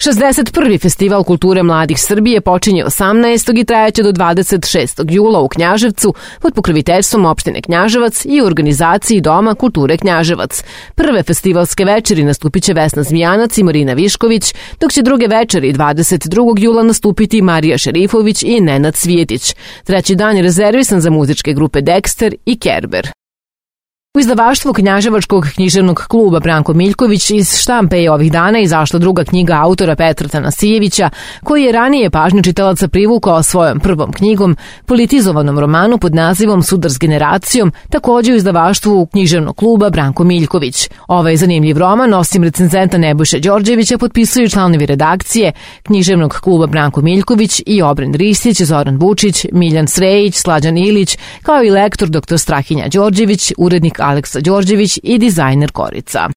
61. Festival kulture mladih Srbije počinje 18. i trajaće do 26. jula u Knjaževcu pod pokroviteljstvom opštine Knjaževac i u organizaciji Doma kulture Knjaževac. Prve festivalske večeri nastupit će Vesna Zmijanac i Marina Višković, dok će druge večeri 22. jula nastupiti Marija Šerifović i Nenad Cvijetić. Treći dan je rezervisan za muzičke grupe Dexter i Kerber. U izdavaštvu Knjaževačkog književnog kluba Branko Miljković iz štampe je ovih dana izašla druga knjiga autora Petra Tanasijevića, koji je ranije pažnju čitalaca privukao svojom prvom knjigom, politizovanom romanu pod nazivom Sudar s generacijom, takođe u izdavaštvu književnog kluba Branko Miljković. Ovaj zanimljiv roman, osim recenzenta Nebojše Đorđevića, potpisuju članovi redakcije književnog kluba Branko Miljković i Obren Ristić, Zoran Vučić, Miljan Srejić, Slađan Ilić, kao i lektor dr. Strahinja Đorđević, urednik Aleksa Đorđević i dizajner Korica.